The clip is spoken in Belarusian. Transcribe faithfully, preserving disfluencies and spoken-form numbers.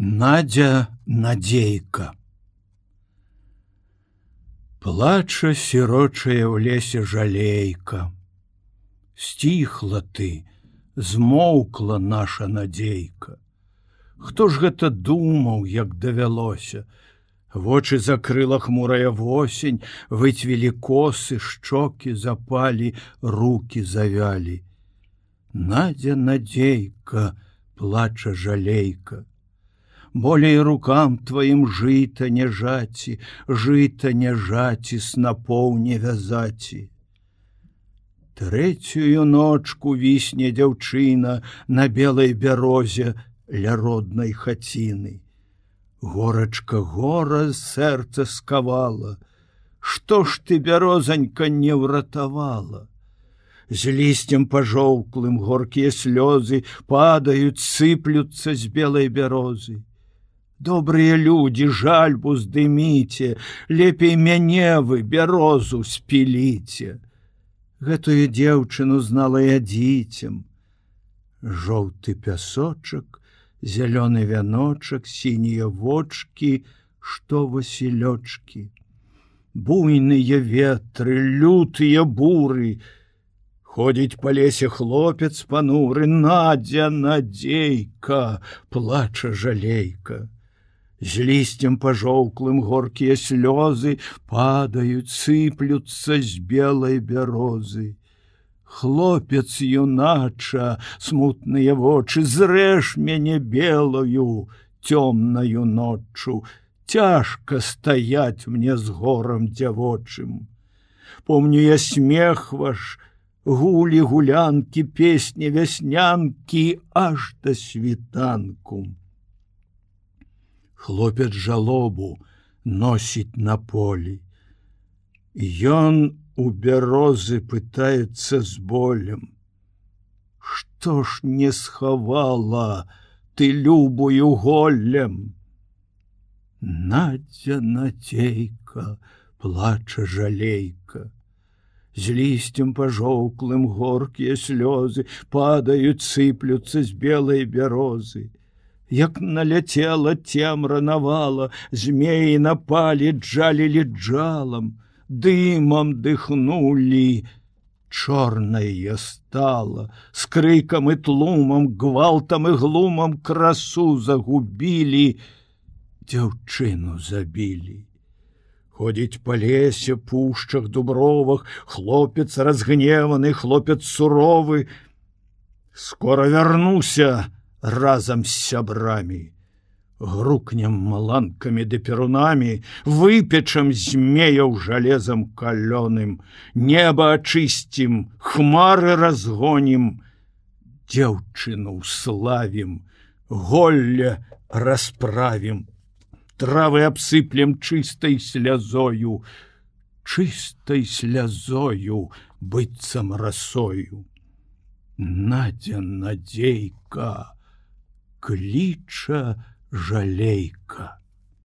Надя Надзейка. Плача сірочая ў лесе жалейка. Сціхла ты, змоўкла наша надзейка. Хто ж гэта думаў, як давялося? Вочы закрыла хмурая восень, выцвілі косы, шчокі запалі, руки завялі. Надя Надзейка, плача жалейка. Болей рукам тваім жыта не жаці, жыта не жаці, снапоў не вязаці. Трэцюю ночку вісне дзяўчына на белай бярозе ля роднай хаціны. Горачка гора сэрца скавала. Што ж ты, бярозанька, не ўратавала? З лісцем пажоўклым горкія слёзы падаюць, сыплюцца з белай бярозы. Добрыя людзі, жальбу здыміце, лепей мяне вы, бярозу, спіліце. Гэтую дзеўчыну знала я дзіцем. Жоўты пясочак, зялёны вяночак, сінія вочкі, што васілёчкі. Буйныя ветры, лютыя буры. Ходзіць па лесе хлопец пануры. Надзя Надзейка, плача жалейка. З лісцем пажоўклым горкія слёзы падаюць, сыплюцца з белай бярозы. Хлопец юнача, смутныя вочы, зрэж мяне белую, цёмнаю ноччу. Цяжка стаяць мне з горам дзявочым. Помню я смех ваш, гулі гулянкі, песні вяснянкі, аж да світанку. Хлопец жалобу носіць на полі. Ён у бярозы пытаецца з болем. Што ж не схавала ты любую голлем? Надзя Надзейка, плача жалейка. З лісцем пажоўклым горкія слёзы падаюць, сыплюцца з белай бярозы. Як наляцела цемра навала, змеі напалі, джалілі джалам, дымам дыхнулі, чорная стала, з крыкам і тлумам, гвалтам і глумам красу загубілі, дзяўчыну забілі. Ходзіць па лесе, пушчах, дубровах, хлопец разгневаны, хлопец суровы. Скора вярнуся разам з сябрамі. Грукнем маланкамі ды перунамі, выпечам змеяў жалезам калёным, неба ачысцім, хмары разгонім, дзяўчыну славім, голле расправім, травы абсыплем чыстай слязою, чыстай слязою, быццам расою. Надзя Надзейка, кліча жалейка.